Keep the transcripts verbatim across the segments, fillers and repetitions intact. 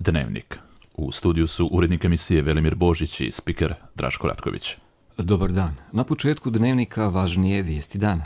Dnevnik. U studiju su urednik emisije Velimir Božić i spiker Draško Ratković. Dobar dan. Na početku Dnevnika važnije vijesti dana.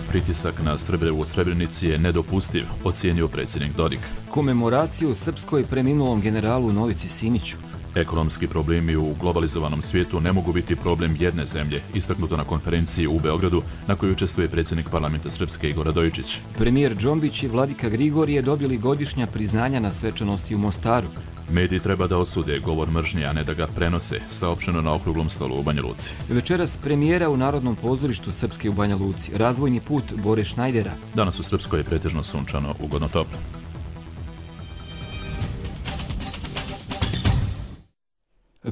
Pritisak na Srbe u Srebrenici je nedopustiv, ocijenio predsjednik Dodik. Komemoraciju srpskoj preminulom generalu Novici Simiću. Ekonomski problemi u globalizovanom svijetu ne mogu biti problem jedne zemlje, istaknuto na konferenciji u Beogradu na kojoj učestvuje predsjednik parlamenta Srpske Igor Radojičić. Premijer Džombić i vladika Grigorije dobili godišnja priznanja na svečanosti u Mostaru. Mediji treba da osude govor mržnje, a ne da ga prenose, saopšteno na okruglom stolu u Banja Luci. Večeras premijera u Narodnom pozorištu Srpske u Banja Luci. Razvojni put Bore Šnajdera. Danas u Srpskoj je pretežno sunčano, ugodno toplo.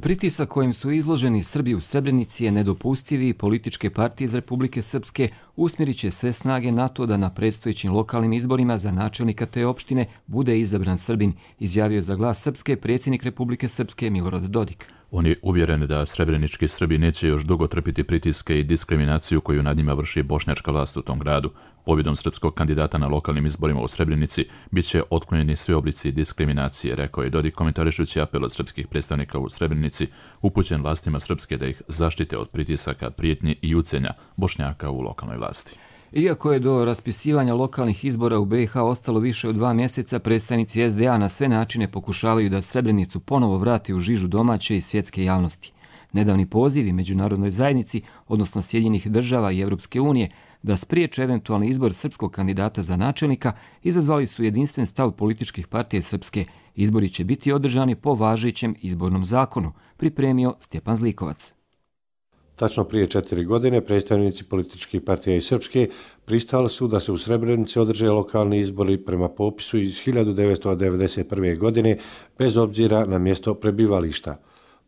Pritisak kojim su izloženi Srbi u Srebrenici je nedopustivi i političke partije iz Republike Srpske usmjerit će sve snage na to da na predstojećim lokalnim izborima za načelnika te opštine bude izabran Srbin, izjavio za Glas Srpske predsjednik Republike Srpske Milorad Dodik. On je uvjeren da srebrenički Srbi neće još dugo trpiti pritiske i diskriminaciju koju nad njima vrši bošnjačka vlast u tom gradu. Pobjedom srpskog kandidata na lokalnim izborima u Srebrenici bit će otklonjeni sve oblici diskriminacije, rekao je Dodik komentarišući apel od srpskih predstavnika u Srebrenici upućen vlastima Srpske da ih zaštite od pritisaka, prijetnji i ucenja Bošnjaka u lokalnoj vlasti. Iako je do raspisivanja lokalnih izbora u be i ha ostalo više od dva mjeseca, predstavnici es de a na sve načine pokušavaju da Srebrenicu ponovo vrati u žižu domaće i svjetske javnosti. Nedavni pozivi međunarodnoj zajednici, odnosno Sjedinjenih država i Europske unije, da spriječe eventualni izbor srpskog kandidata za načelnika, izazvali su jedinstven stav političkih partija Srpske. Izbori će biti održani po važećem izbornom zakonu, pripremio Stjepan Zlikovac. Tačno prije četiri godine predstavnici političkih partija iz Srpske pristali su da se u Srebrenici održe lokalni izbori prema popisu iz hiljadu devetsto devedeset prve. godine bez obzira na mjesto prebivališta.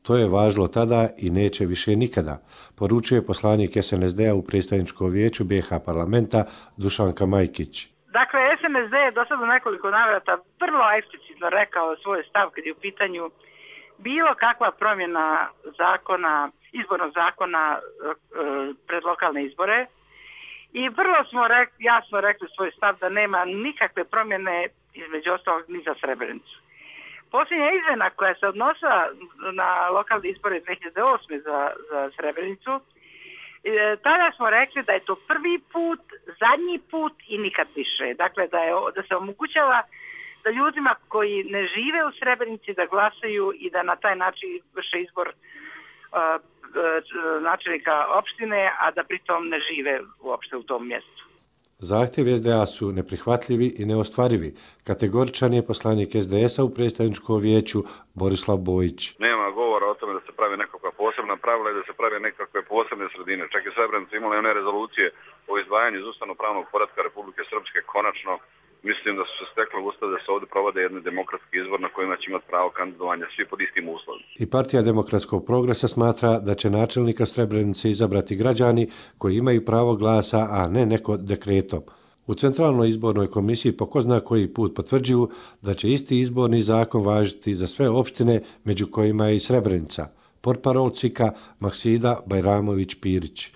To je važilo tada i neće više nikada, poručuje poslanik es en es de a u predstavničkom vijeću be i ha parlamenta Dušanka Majkić. Dakle, es en es de je do sada nekoliko navrata vrlo eksplicitno rekao svoj stav kad je u pitanju bilo kakva promjena zakona, izbornog zakona pred lokalne izbore i vrlo smo rekli, jasno rekli svoj stav da nema nikakve promjene između ostalog ni za Srebrenicu. Posljednja izmjena koja se odnosila na lokalne izbore dvije hiljade osme. za, za Srebrenicu, tada smo rekli da je to prvi put, zadnji put i nikad više. Dakle, da, je, da se omogućava da ljudima koji ne žive u Srebrenici da glasaju i da na taj način vrše izbor uh, načelnika opštine, a da pritom ne žive uopšte u tom mjestu. Zahtjev es de a su neprihvatljivi i neostvarivi. Kategoričan je poslanik es de esa u predstavničkom vijeću Borislav Bojić. Nema govora o tome da se pravi nekakva posebna pravila i da se pravi nekakve posebne sredine. Čak i Srebrenica imala one rezolucije o izdvajanju iz ustavno-pravnog poretka Republike Srpske. Konačno mislim da su se stekle ustav da se ovdje provode jedni demokratski izbor na kojima će imati pravo kandidovanja svi pod istim uslovima. I Partija demokratskog progresa smatra da će načelnika Srebrenice izabrati građani koji imaju pravo glasa, a ne neko dekretom. U Centralnoj izbornoj komisiji po ko zna koji put potvrđuju da će isti izborni zakon važiti za sve opštine, među kojima je i Srebrenica. Portparol C I K A Maksida Bajramović-Pirić.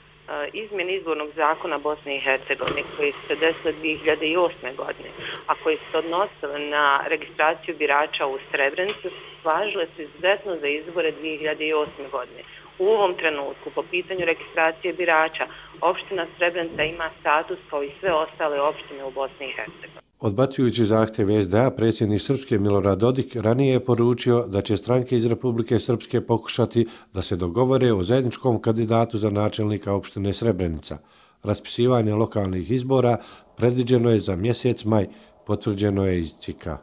Izmjene izbornog zakona Bosne i Hercegovine koji su se desile dvije hiljade osme. godine, a koji su se odnosile na registraciju birača u Srebrenicu, važile su izuzetno za izbore dvije hiljade osme. godine. U ovom trenutku, po pitanju registracije birača, opština Srebrenica ima status kao i sve ostale opštine u Bosni i Hercegovini. Odbacujući zahtjev es de a, predsjednik Srpske Milorad Dodik ranije je poručio da će stranke iz Republike Srpske pokušati da se dogovore o zajedničkom kandidatu za načelnika opštine Srebrenica. Raspisivanje lokalnih izbora predviđeno je za mjesec maj, potvrđeno je iz C I K A.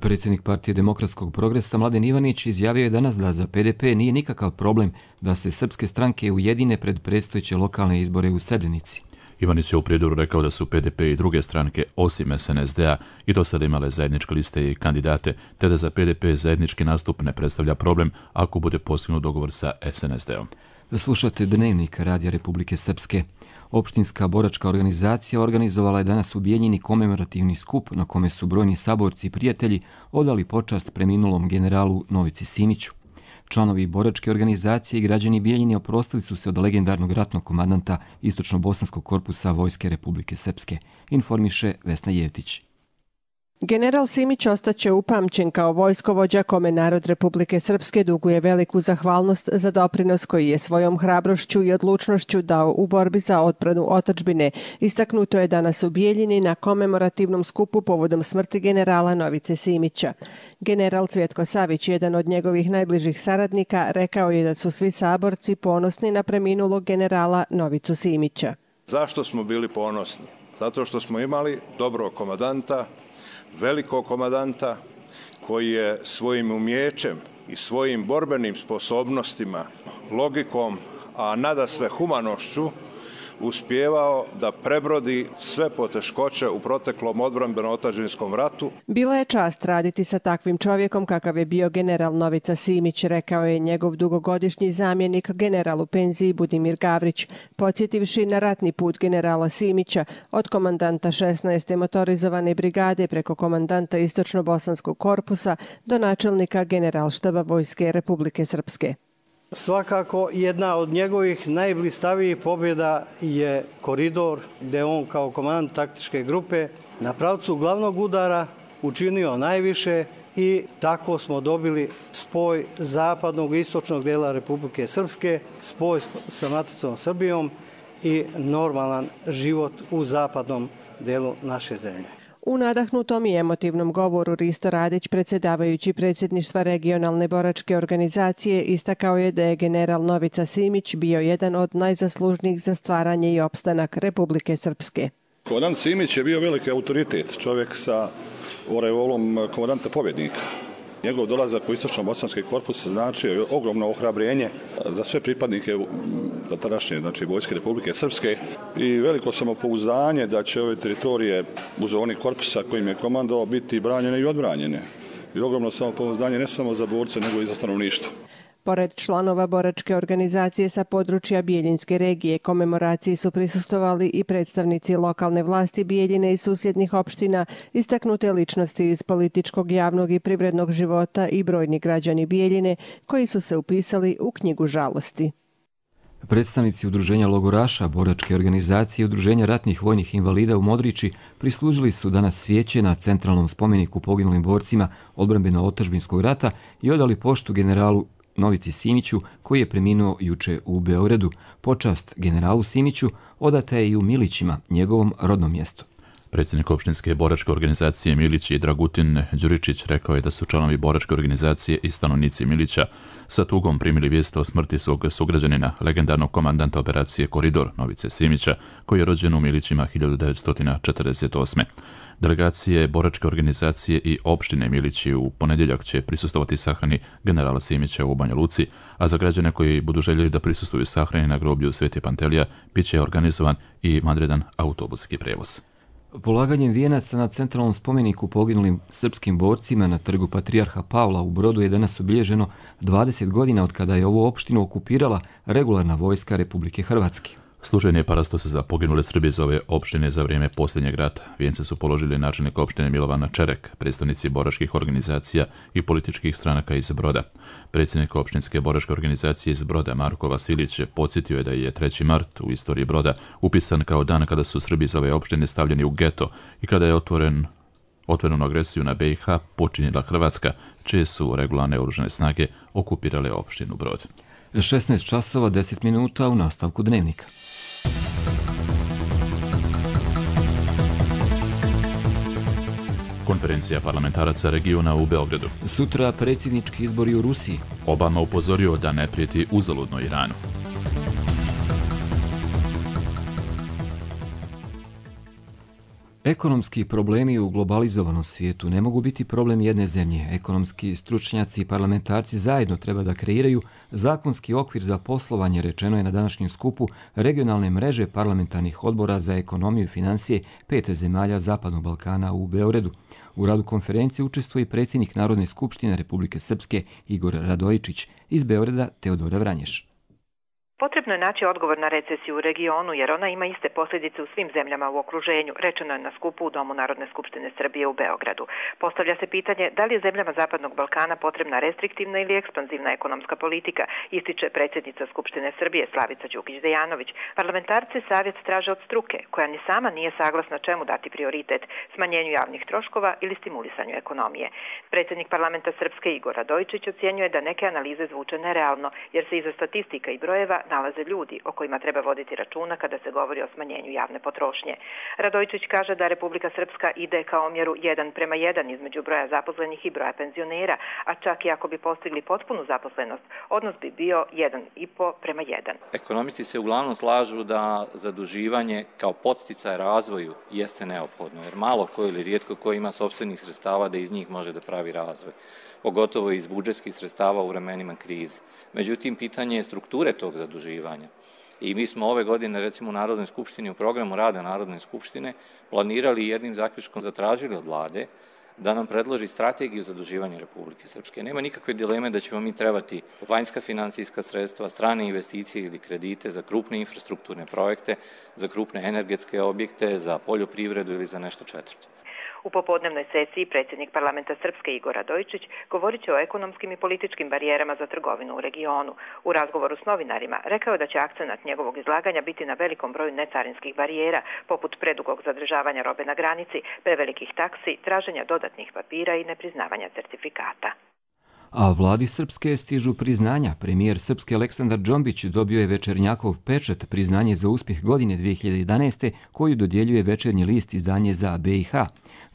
Predsjednik Partije demokratskog progresa Mladen Ivanić izjavio je danas da za pe de pe nije nikakav problem da se srpske stranke ujedine pred predstojeće lokalne izbore u Srebrenici. Ivanić je u prijedoru rekao da su pe de pe i druge stranke, osim es en es de a, i do sada imale zajedničke liste i kandidate, te da za pe de pe zajednički nastup ne predstavlja problem ako bude postignut dogovor sa es en es de om. Slušate Dnevnik Radija Republike Srpske. Opštinska boračka organizacija organizovala je danas u Bijeljini komemorativni skup na kome su brojni saborci i prijatelji odali počast preminulom generalu Novici Simiću. Članovi boračke organizacije i građani Bijeljine oprostili su se od legendarnog ratnog komandanta Istočno-bosanskog korpusa Vojske Republike Srpske, informiše Vesna Jevtić. General Simić ostaće upamćen kao vojskovođa kome narod Republike Srpske duguje veliku zahvalnost za doprinos koji je svojom hrabrošću i odlučnošću dao u borbi za odbranu otadžbine. Istaknuto je danas u Bijeljini na komemorativnom skupu povodom smrti generala Novice Simića. General Cvjetko Savić, jedan od njegovih najbližih saradnika, rekao je da su svi saborci ponosni na preminulog generala Novicu Simića. Zašto smo bili ponosni? Zato što smo imali dobrog komandanta, velikog komandanta koji je svojim umijećem i svojim borbenim sposobnostima, logikom, a nadasve humanošću uspijevao da prebrodi sve poteškoće u proteklom odbrambeno-otadžbinskom ratu. Bila je čast raditi sa takvim čovjekom kakav je bio general Novica Simić, rekao je njegov dugogodišnji zamjenik general u penziji Budimir Gavrić, podsjetivši na ratni put generala Simića od komandanta šesnaeste motorizovane brigade preko komandanta Istočno-bosanskog korpusa do načelnika generalštaba Vojske Republike Srpske. Svakako jedna od njegovih najblistavijih pobjeda je Koridor, gdje on kao komandant taktičke grupe na pravcu glavnog udara učinio najviše i tako smo dobili spoj zapadnog i istočnog dela Republike Srpske, spoj sa maticom Srbijom i normalan život u zapadnom delu naše zemlje. U nadahnutom i emotivnom govoru Risto Radić, predsjedavajući predsjedništva regionalne boračke organizacije, istakao je da je general Novica Simić bio jedan od najzaslužnijih za stvaranje i opstanak Republike Srpske. Komandant Simić je bio veliki autoritet, čovjek sa oreolom komandanta pobjednika. Njegov dolazak u Istočno-bosanski korpus znači ogromno ohrabrenje za sve pripadnike tadašnje, znači Vojske Republike Srpske i veliko samopouzdanje da će ove teritorije u zoni korpusa kojim je komandovao biti branjene i odbranjene. I ogromno samopouzdanje ne samo za borce nego i za stanovništvo. Pored članova boračke organizacije sa područja Bijeljinske regije, komemoraciji su prisustvovali i predstavnici lokalne vlasti Bijeljine i susjednih opština, istaknute ličnosti iz političkog, javnog i privrednog života i brojni građani Bijeljine koji su se upisali u knjigu žalosti. Predstavnici udruženja logoraša, boračke organizacije i udruženja ratnih vojnih invalida u Modriči prislužili su danas svijeće na centralnom spomeniku poginulim borcima odbrambeno-otadžbinskog rata i odali poštu generalu Novici Simiću, koji je preminuo juče u Beogradu. Počast generalu Simiću odata je i u Milićima, njegovom rodnom mjestu. Predsjednik opštinske boračke organizacije Milići Dragutin Đuričić rekao je da su članovi boračke organizacije i stanovnici Milića sa tugom primili vijest o smrti svog sugrađanina, legendarnog komandanta operacije Koridor Novice Simića, koji je rođen u Milićima hiljadu devetsto četrdeset osme. Delegacije boračke organizacije i opštine Milići u ponedjeljak će prisustovati sahrani generala Simića u Banja Luci, a za građane koji budu željeli da prisustuju sahrani na groblju Svete Pantelija bit će organizovan i vanredan autobuski prevoz. Polaganjem vijenaca na centralnom spomeniku poginulim srpskim borcima na trgu Patrijarha Pavla u Brodu je danas obilježeno dvadeset godina od kada je ovu opštinu okupirala regularna vojska Republike Hrvatske. Služenje parastose za poginule Srbi iz ove opštine za vrijeme posljednjeg rata. Vijence su položili načelnik opštine Milovan Čerek, predstavnici boračkih organizacija i političkih stranaka iz Broda. Predsjednik opštinske boračke organizacije iz Broda, Marko Vasilić, podsjetio je da je treći mart u istoriji Broda upisan kao dan kada su Srbi iz ove opštine stavljeni u geto i kada je otvoren otvorenu agresiju na B i H počinjela Hrvatska, čije su regularne oružane snage okupirale opštinu Brod. šesnaest časova deset minuta u nastavku dnevnika. Konferencija parlamentaraca regiona u Beogradu. Sutra predsjednički izbori u Rusiji. Obama upozorio da ne prijeti uzaludno Iranu. Ekonomski problemi u globalizovanom svijetu ne mogu biti problem jedne zemlje. Ekonomski stručnjaci i parlamentarci zajedno treba da kreiraju zakonski okvir za poslovanje, rečeno je na današnjem skupu regionalne mreže parlamentarnih odbora za ekonomiju i financije pet zemalja Zapadnog Balkana u Beogradu. U radu konferencije učestvuje i predsjednik Narodne skupštine Republike Srpske Igor Radojičić, iz Beograda Teodora Vranješ. Potrebno je naći odgovor na recesiju u regionu, jer ona ima iste posljedice u svim zemljama u okruženju, rečeno je na skupu u Domu Narodne skupštine Srbije u Beogradu. Postavlja se pitanje da li je zemljama Zapadnog Balkana potrebna restriktivna ili ekspanzivna ekonomska politika, ističe predsjednica Skupštine Srbije Slavica Đukić-Dejanović. Parlamentarci savjet traže od struke, koja ni sama nije saglasna čemu dati prioritet, smanjenju javnih troškova ili stimulisanju ekonomije. Predsjednik parlamenta Srpske Igor Radojičić ocjenjuje da neke analize zvuče nerealno, jer se iza statistika i brojeva nalaze ljudi o kojima treba voditi računa kada se govori o smanjenju javne potrošnje. Radojičić kaže da Republika Srpska ide ka omjeru jedan prema jedan između broja zaposlenih i broja penzionera, a čak i ako bi postigli potpunu zaposlenost, odnos bi bio jedan i po prema jedan. Ekonomisti se uglavnom slažu da zaduživanje kao podsticaj razvoju jeste neophodno, jer malo ko ili rijetko ko ima sopstvenih sredstava da iz njih može da pravi razvoj, pogotovo iz budžetskih sredstava u vremenima krize. Međutim, pitanje je strukture tog zaduživanja. I mi smo ove godine, recimo u Narodnoj skupštini, u programu rada Narodne skupštine, planirali i jednim zaključkom zatražili od vlade da nam predloži strategiju zaduživanja Republike Srpske. Nema nikakve dileme da ćemo mi trebati vanjska finansijska sredstva, strane investicije ili kredite za krupne infrastrukturne projekte, za krupne energetske objekte, za poljoprivredu ili za nešto četvrto. U popodnevnoj sesiji predsjednik parlamenta Srpske Igor Radojičić govorit će o ekonomskim i političkim barijerama za trgovinu u regionu. U razgovoru s novinarima rekao je da će akcenat njegovog izlaganja biti na velikom broju necarinskih barijera, poput predugog zadržavanja robe na granici, prevelikih taksi, traženja dodatnih papira i nepriznavanja certifikata. A vladi Srpske stižu priznanja. Premijer Srpske Aleksandar Džombić dobio je Večernjakov pečat, priznanje za uspjeh godine dvije hiljade jedanaeste koju dodjeljuje Večernji list, izdanje za B i H.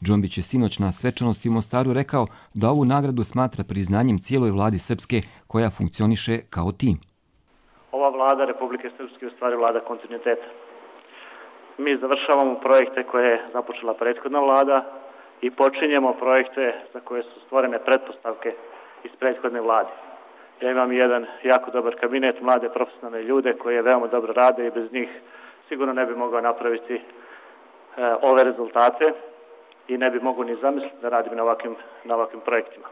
Džombić je sinoć na svečanosti u Mostaru rekao da ovu nagradu smatra priznanjem cijeloj vladi Srpske koja funkcioniše kao tim. Ova vlada Republike Srpske je u stvari vlada kontinuiteta. Mi završavamo projekte koje je započela prethodna vlada i počinjemo projekte za koje su stvorene pretpostavke iz prethodne vlade. Ja imam jedan jako dobar kabinet, mlade profesionalne ljude koji veoma dobro rade i bez njih sigurno ne bi mogao napraviti e, ove rezultate i ne bi mogao ni zamisliti da radim na ovakvim, na ovakvim projektima.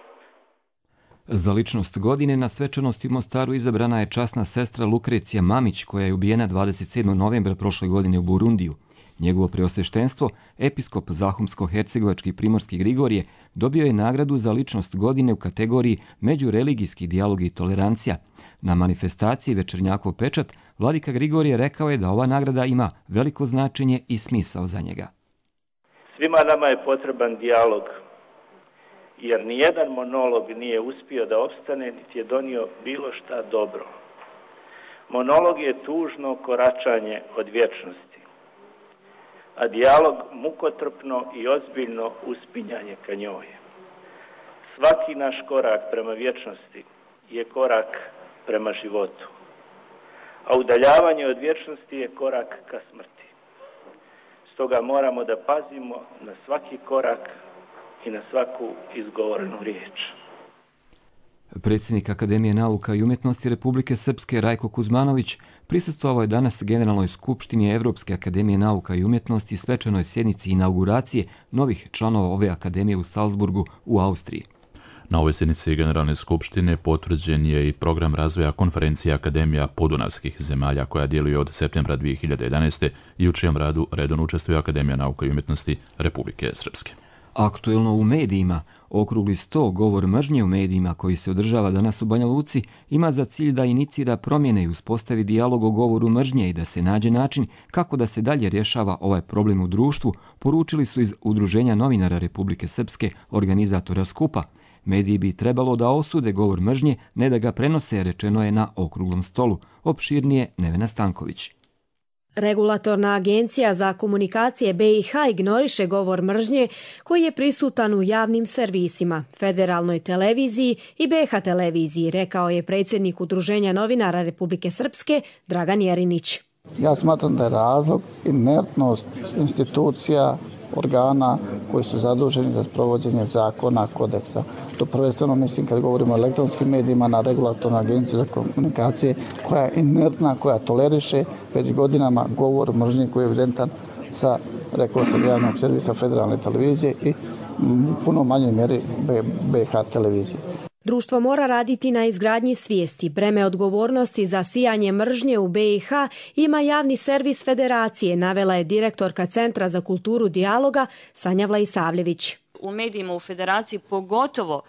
Za ličnost godine na svečanosti u Mostaru izabrana je časna sestra Lukrecija Mamić, koja je ubijena dvadeset sedmog novembra prošle godine u Burundiju. Njegovo preosveštenstvo, episkop Zahumsko-hercegovački Primorski Grigorije, dobio je nagradu za ličnost godine u kategoriji međureligijski dijalog i tolerancija. Na manifestaciji Večernjakov pečat, vladika Grigorije rekao je da ova nagrada ima veliko značenje i smisao za njega. Svima nama je potreban dijalog, jer nijedan monolog nije uspio da opstane, niti je donio bilo šta dobro. Monolog je tužno koračanje od vječnosti, a dijalog mukotrpno i ozbiljno uspinjanje ka njoj. Svaki naš korak prema vječnosti je korak prema životu, a udaljavanje od vječnosti je korak ka smrti. Stoga moramo da pazimo na svaki korak i na svaku izgovorenu riječ. Predsjednik Akademije nauka i umjetnosti Republike Srpske Rajko Kuzmanović prisustvovao je danas Generalnoj skupštini Evropske akademije nauka i umjetnosti svečanoj sjednici inauguracije novih članova ove akademije u Salzburgu u Austriji. Na ovoj sjednici Generalne skupštine potvrđen je i program razvoja konferencije Akademija podunavskih zemalja koja djeluje od septembra dvije hiljade jedanaeste i u čijem radu redovno učestvuje Akademija nauka i umjetnosti Republike Srpske. Aktuelno u medijima, okrugli sto govor mržnje u medijima koji se održava danas u Banja Luci ima za cilj da inicira promjene i uspostavi dijalog o govoru mržnje i da se nađe način kako da se dalje rješava ovaj problem u društvu, poručili su iz Udruženja novinara Republike Srpske, organizatora skupa. Mediji bi trebalo da osude govor mržnje, ne da ga prenose, rečeno je na okruglom stolu. Opširnije Nevena Stanković. Regulatorna agencija za komunikacije B i H ignoriše govor mržnje koji je prisutan u javnim servisima, Federalnoj televiziji i B H televiziji, rekao je predsjednik Udruženja novinara Republike Srpske Dragan Jerinić. Ja smatram da je razlog inertnost institucija, organa koji su zaduženi za sprovođenje zakona, kodeksa. To prvenstveno mislim kad govorimo o elektronskim medijima na regulatornu agenciju za komunikacije koja je inertna, koja toleriše već godinama govor mržnje koji je evidentan sa, rekao sam, javnog servisa Federalne televizije i u puno manjoj mjeri B H televizije. Društvo mora raditi na izgradnji svijesti. Breme odgovornosti za sijanje mržnje u be i ha ima javni servis Federacije, navela je direktorka Centra za kulturu dijaloga Sanja Vlaisavljević. U medijima u Federaciji, pogotovo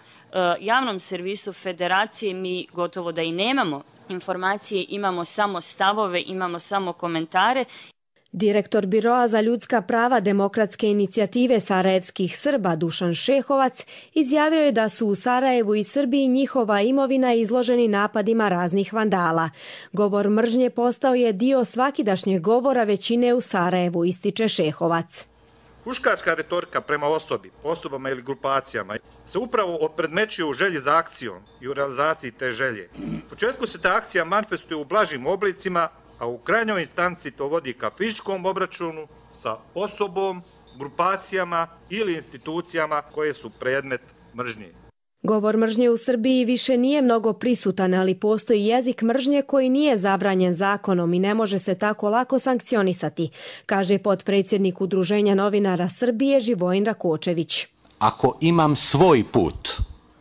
javnom servisu Federacije, mi gotovo da i nemamo informacije, imamo samo stavove, imamo samo komentare. Direktor Biroa za ljudska prava Demokratske inicijative sarajevskih Srba Dušan Šehovac izjavio je da su u Sarajevu i Srbiji njihova imovina izloženi napadima raznih vandala. Govor mržnje postao je dio svakidašnjeg govora većine u Sarajevu, ističe Šehovac. Huškačka retorika prema osobi, osobama ili grupacijama se upravo opredmećuje u želji za akcijom i u realizaciji te želje. U početku se ta akcija manifestuje u blažim oblicima, a u krajnjoj instanci to vodi ka fizičkom obračunu sa osobom, grupacijama ili institucijama koje su predmet mržnje. Govor mržnje u Srbiji više nije mnogo prisutan, ali postoji jezik mržnje koji nije zabranjen zakonom i ne može se tako lako sankcionisati, kaže potpredsjednik Udruženja novinara Srbije Živojin Rakočević. Ako imam svoj put,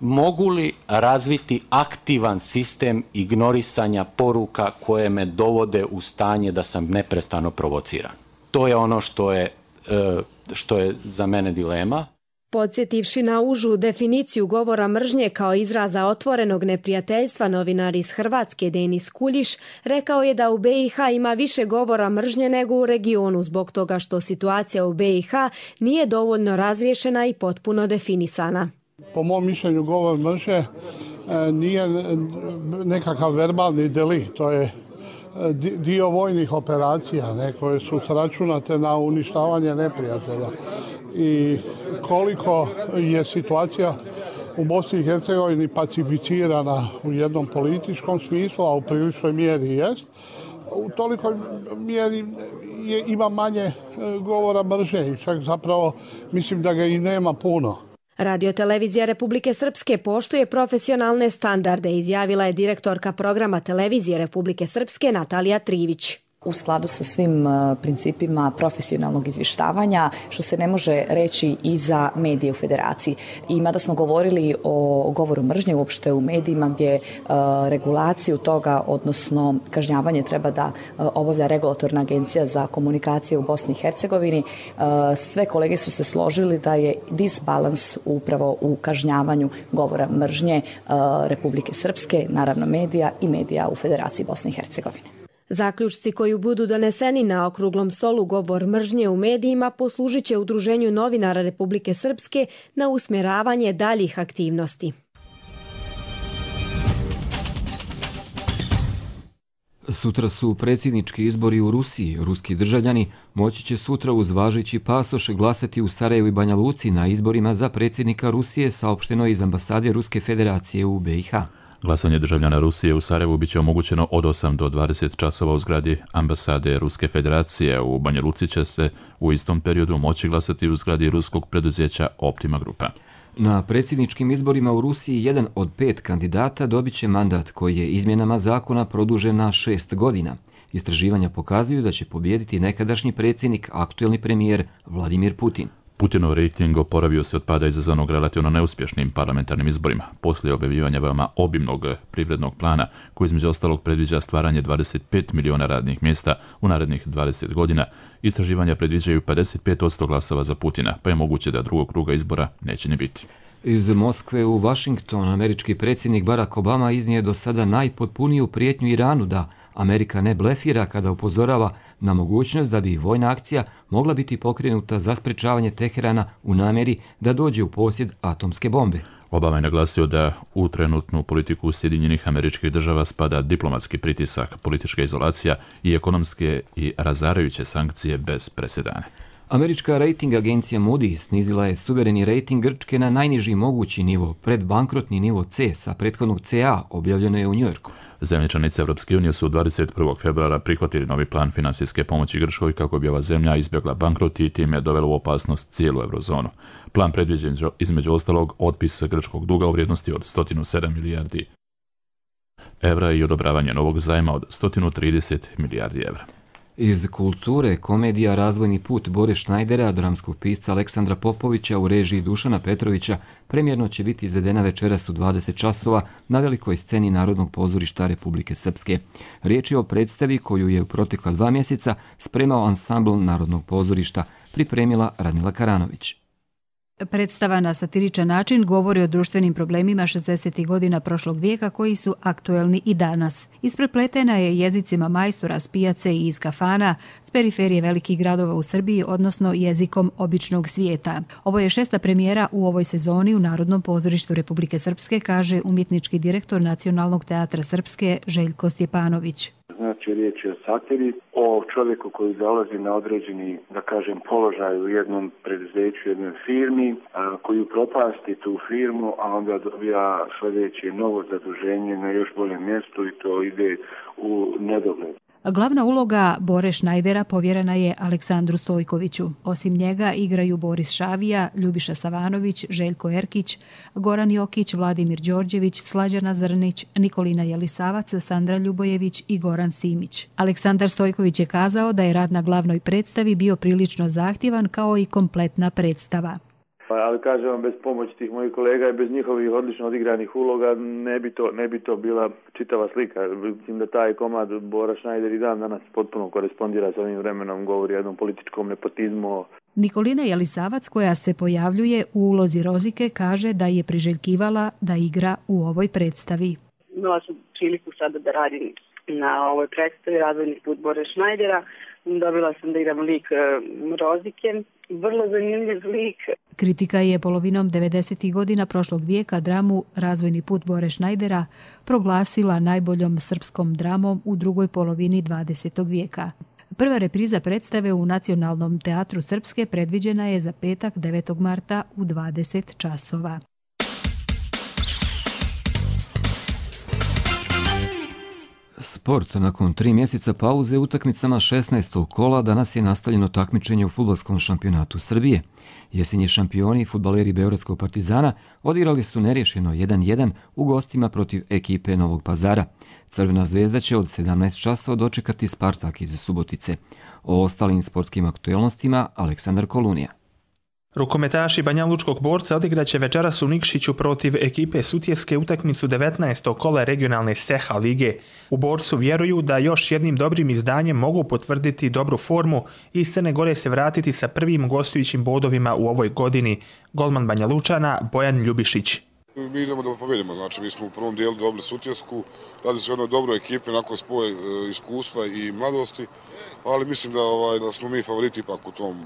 mogu li razviti aktivan sistem ignorisanja poruka koje me dovode u stanje da sam neprestano provociran? To je ono što je, što je za mene dilema. Podsjetivši na užu definiciju govora mržnje kao izraza otvorenog neprijateljstva, novinar iz Hrvatske Denis Kuljiš rekao je da u be i ha ima više govora mržnje nego u regionu zbog toga što situacija u be i ha nije dovoljno razriješena i potpuno definisana. Po mom mišljenju govor mržnje nije nekakav verbalni delikt, to je dio vojnih operacija ne, koje su sračunate na uništavanje neprijatelja. I koliko je situacija u Bosni i Hercegovini pacificirana u jednom političkom smislu, a u priličnoj mjeri jest, u tolikoj mjeri je, ima manje govora mržnje i čak zapravo mislim da ga i nema puno. Radiotelevizija Republike Srpske poštuje profesionalne standarde, izjavila je direktorka programa Televizije Republike Srpske Natalija Trivić. U skladu sa svim principima profesionalnog izvještavanja, što se ne može reći i za medije u Federaciji. I mada smo govorili o govoru mržnje uopšte u medijima gdje regulaciju toga, odnosno kažnjavanje treba da obavlja Regulatorna agencija za komunikacije u Bosni i Hercegovini, sve kolege su se složili da je disbalans upravo u kažnjavanju govora mržnje Republike Srpske, naravno medija i medija u Federaciji Bosne i Hercegovine. Zaključci koji budu doneseni na okruglom stolu govor mržnje u medijima poslužit će Udruženju novinara Republike Srpske na usmjeravanje daljih aktivnosti. Sutra su predsjednički izbori u Rusiji. Ruski državljani moći će sutra uz važeći pasoš glasati u Sarajevu i Banja Luci na izborima za predsjednika Rusije, saopšteno iz ambasade Ruske federacije u be i ha. Glasanje državljana Rusije u Sarajevu biće omogućeno od osam do dvadeset časova u zgradi ambasade Ruske federacije. U Banja Luci će se u istom periodu moći glasati u zgradi ruskog preduzeća Optima Grupa. Na predsjedničkim izborima u Rusiji jedan od pet kandidata dobit će mandat koji je izmjenama zakona produžen na šest godina. Istraživanja pokazuju da će pobijediti nekadašnji predsjednik, aktuelni premijer Vladimir Putin. Putinov rejting oporavio se od pada izazvanog relativno neuspješnim parlamentarnim izborima. Poslije objavljivanja veoma obimnog privrednog plana, koji između ostalog predviđa stvaranje dvadeset pet miliona radnih mjesta u narednih dvadeset godina, istraživanja predviđaju pedeset pet posto glasova za Putina, pa je moguće da drugog kruga izbora neće ni biti. Iz Moskve u Washington američki predsjednik Barack Obama iznije do sada najpotpuniju prijetnju Iranu da Amerika ne blefira kada upozorava na mogućnost da bi vojna akcija mogla biti pokrenuta za sprečavanje Teherana u namjeri da dođe u posjed atomske bombe. Obama je naglasio da u trenutnu politiku Sjedinjenih Američkih Država spada diplomatski pritisak, politička izolacija i ekonomske i razarajuće sankcije bez presedana. Američka rejting agencija Moody snizila je suvereni rejting Grčke na najniži mogući nivo, predbankrotni nivo C sa prethodnog C A, objavljeno je u Njujorku. Zemlje članice Europske unije su dvadeset prvog februara prihvatili novi plan finansijske pomoći Grčkoj kako bi ova zemlja izbjegla bankrot i time dovela u opasnost cijelu eurozonu. Plan predviđa između ostalog otpis grčkog duga u vrijednosti od sto sedam milijardi evra i odobravanje novog zajma od sto trideset milijardi evra. Iz kulture, komedija Razvojni put Bore Šnajdera, dramskog pisca Aleksandra Popovića u režiji Dušana Petrovića, premijerno će biti izvedena večeras u dvadeset časova na velikoj sceni Narodnog pozorišta Republike Srpske. Riječ je o predstavi koju je u protekla dva mjeseca spremao ansambl Narodnog pozorišta, pripremila Radmila Karanović. Predstava na satiričan način govori o društvenim problemima šezdesetih godina prošlog vijeka koji su aktuelni i danas. Isprepletena je jezicima majstora s pijace i iz kafana, s periferije velikih gradova u Srbiji, odnosno jezikom običnog svijeta. Ovo je šesta premijera u ovoj sezoni u Narodnom pozorištu Republike Srpske, kaže umjetnički direktor Nacionalnog teatra Srpske Željko Stjepanović. Znači, riječ je o satiri, o čovjeku koji dolazi na određeni, da kažem, položaj u jednom preduzeću, jednoj firmi, a, koji propasti tu firmu, a onda dobija sljedeće novo zaduženje na još boljem mjestu i to ide u nedogled. Glavna uloga Bore Šnajdera povjerena je Aleksandru Stojkoviću. Osim njega igraju Boris Šavija, Ljubiša Savanović, Željko Erkić, Goran Jokić, Vladimir Đorđević, Slađana Zrnić, Nikolina Jelisavac, Sandra Ljubojević i Goran Simić. Aleksandar Stojković je kazao da je rad na glavnoj predstavi bio prilično zahtjevan kao i kompletna predstava. Ali kažem vam, bez pomoći tih mojih kolega i bez njihovih odlično odigranih uloga ne bi to, ne bi to bila čitava slika. Mislim da taj komad Bora Šnajder i dan danas potpuno korespondira s ovim vremenom, govori o jednom političkom nepotizmu. Nikolina Jelisavac, koja se pojavljuje u ulozi Rozike, kaže da je priželjkivala da igra u ovoj predstavi. Imala sam priliku sada da radim na ovoj predstavi Razvojni put Bore Šnajdera. Dobila sam da igram lik Rozike. Vrlo zanimljiv lik. Kritika je polovinom devedesetih godina prošlog vijeka dramu Razvojni put Bore Šnajdera proglasila najboljom srpskom dramom u drugoj polovini dvadesetog vijeka. Prva repriza predstave u Nacionalnom teatru Srpske predviđena je za petak devetog marta u dvadeset časova. Sport. Nakon tri mjeseca pauze utakmicama šesnaestog kola danas je nastavljeno takmičenje u fudbalskom šampionatu Srbije. Jesenji šampioni, fudbaleri Beogradskog Partizana, odigrali su nerješeno jedan jedan u gostima protiv ekipe Novog Pazara. Crvena zvezda će od sedamnaest časova dočekati Spartak iz Subotice. O ostalim sportskim aktuelnostima Aleksandar Kolunija. Rukometaši Banjalučkog Borca odigraće večeras u Nikšiću protiv ekipe Sutjeske utakmicu devetnaestog kola regionalne S E H A lige. U Borcu vjeruju da još jednim dobrim izdanjem mogu potvrditi dobru formu i iz Crne Gore se vratiti sa prvim gostujućim bodovima u ovoj godini. Golman Banjalučana Bojan Ljubišić. Mi idemo da pobedimo, znači mi smo u prvom dijelu dobili Sutjesku, radi se o jednoj dobroj ekipi, nakon spoj iskustva i mladosti, ali mislim da, ovaj, da smo mi favoriti ipak u tom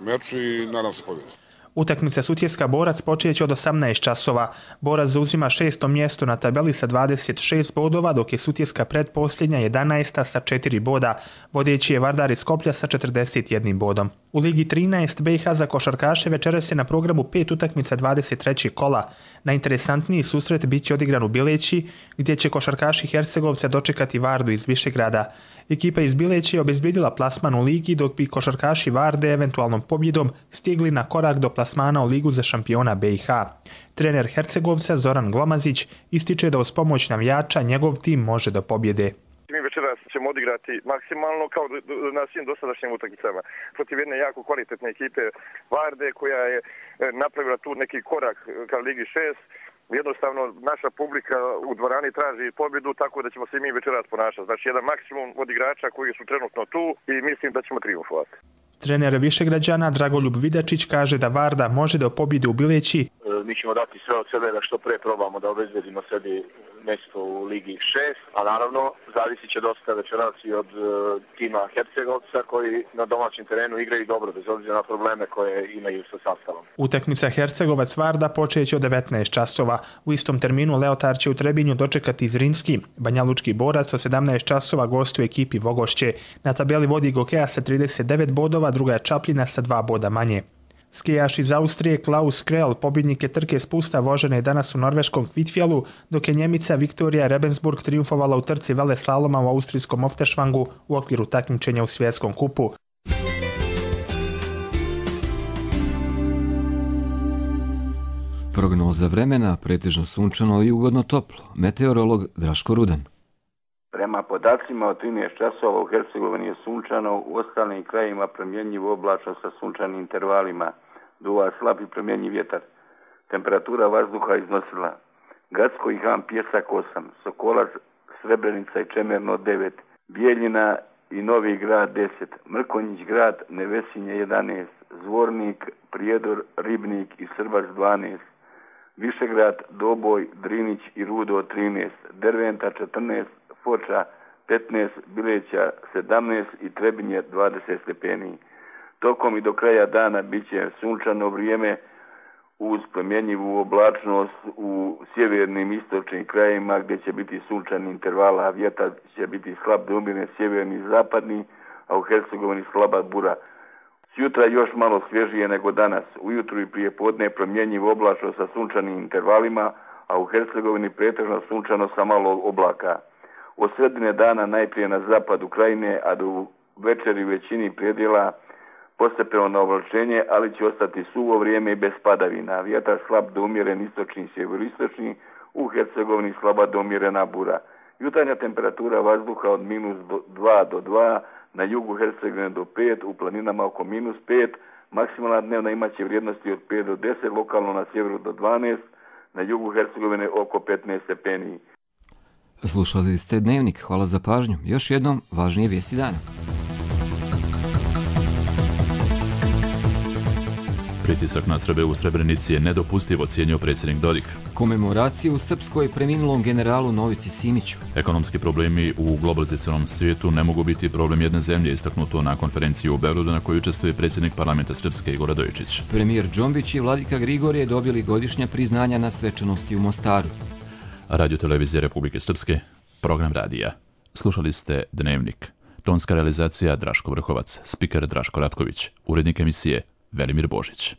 meču i nadam se pobjedi. Utakmica Sutjeska Borac počeće od osamnaest časova. Borac zauzima šesto mjesto na tabeli sa dvadeset šest bodova, dok je Sutjeska predposljednja jedanaesta sa četiri boda. Vodeći je Vardar iz Skoplja sa četrdeset jednim bodom. U Ligi trinaest B i H za košarkaše večeras je na programu pet utakmica dvadeset trećeg kola. Najinteresantniji susret bit će odigran u Bileći, gdje će košarkaši Hercegovca dočekati Vardu iz Višegrada. Ekipa iz Bileće je obezbjedila plasman u ligi, dok bi košarkaši Varde eventualnom pobjedom stigli na korak do plasmana u ligu za šampiona B i H. Trener Hercegovca Zoran Glomazić ističe da uz pomoć navijača njegov tim može do pobjede. Mi večeras ćemo odigrati maksimalno kao na svim dosadašnjim utakmicama protiv jedne jako kvalitetne ekipe Varde koja je napravila tu neki korak ka Ligi šest. Jednostavno naša publika u dvorani traži pobjedu, tako da ćemo se mi večeras ponašati. Znači jedan maksimum od igrača koji su trenutno tu i mislim da ćemo trijumfovati. Trener Višegrađana Dragoljub Vidačić kaže da Varda može da pobjedi u Bileći. Mi ćemo dati sve od sebe da što pre probamo da obezbedimo sebi mjesto u Ligi šest, a naravno zavisit će dosta večeras i od uh, tima Hercegovca koji na domaćem terenu igraju dobro bez obzira na probleme koje imaju sa sastavom. Utakmica Hercegovac Varda počeće od devetnaest časova. U istom terminu Leotar će u Trebinju dočekati Zrinski. Banjalučki Borac od sedamnaest časova gostuje ekipi Vogošće. Na tabeli vodi Gokeja sa trideset devet bodova, druga je Čapljina sa dva boda manje. Skijaš iz Austrije Klaus Krell pobjednik je trke spusta vožene danas u norveškom Kvitfjellu, dok je Njemica Viktorija Rebensburg triumfovala u trci veleslaloma u austrijskom Ofterschwangu u okviru takmičenja u svjetskom kupu. Prognoza vremena, pretežno sunčano i ugodno toplo. Meteorolog Draško Rudan. Prema Prema podacima od trinaest časova u Hercegovini je sunčano, u ostalim krajima promjenjivo oblačno sa sunčanim intervalima, duva slab i promjenjiv vjetar. Temperatura vazduha iznosila Gacko i Han Pjesak osam, Sokolac, Srebrenica i Čemerno devet, Bijeljina i Novi Grad deset, Mrkonjić Grad, Nevesinje jedanaest, Zvornik, Prijedor, Ribnik i Srbač dvanaest, Višegrad, Doboj, Drinić i Rudo trinaest, Derventa četrnaest, Foča petnaest, Bileća sedamnaest i Trebinje dvadeset stepeni. Tokom i do kraja dana bit će sunčano vrijeme uz promjenjivu oblačnost u sjevernim istočnim krajima gdje će biti sunčani intervala, a vjetar će biti slab do umjeren sjeverni i zapadni, a u Hercegovini slaba bura. Sjutra još malo svježije nego danas. Ujutru i prije podne promjenjivo oblačno sa sunčanim intervalima, a u Hercegovini pretežno sunčano sa malo oblaka. Od sredine dana najprije na zapadu krajine, a do večeri u većini predjela postepeno na oblačenje, ali će ostati suvo vrijeme i bez padavina. Vjetar slab do umjeren istočni i sjeveristočni, u Hercegovini slaba do umjerena bura. Jutarnja temperatura vazduha od minus dva do dva, na jugu Hercegovine do pet, u planinama oko minus pet, maksimalna dnevna imaće vrijednosti od pet do deset, lokalno na sjeveru do dvanaest, na jugu Hercegovine oko petnaest stepeni. Slušali ste Dnevnik, hvala za pažnju. Još jednom, važnije vijesti dana. Pritisak na Srbe u Srebrenici je nedopustiv, ocijenio predsjednik Dodik. Komemoraciju u Srpskoj preminulom generalu Novici Simiću. Ekonomski problemi u globalizacionom svijetu ne mogu biti problem jedne zemlje, istaknuto na konferenciji u Beogradu na kojoj učestvuje predsjednik parlamenta Srpske Igor Radojičić. Premijer Džombić i vladika Grigorije dobili godišnja priznanja na svečanosti u Mostaru. Radio televizije Republike Srpske, program radija. Slušali ste Dnevnik. Tonska realizacija Draško Vrhovac, spiker Draško Ratković, urednik emisije Velimir Božić.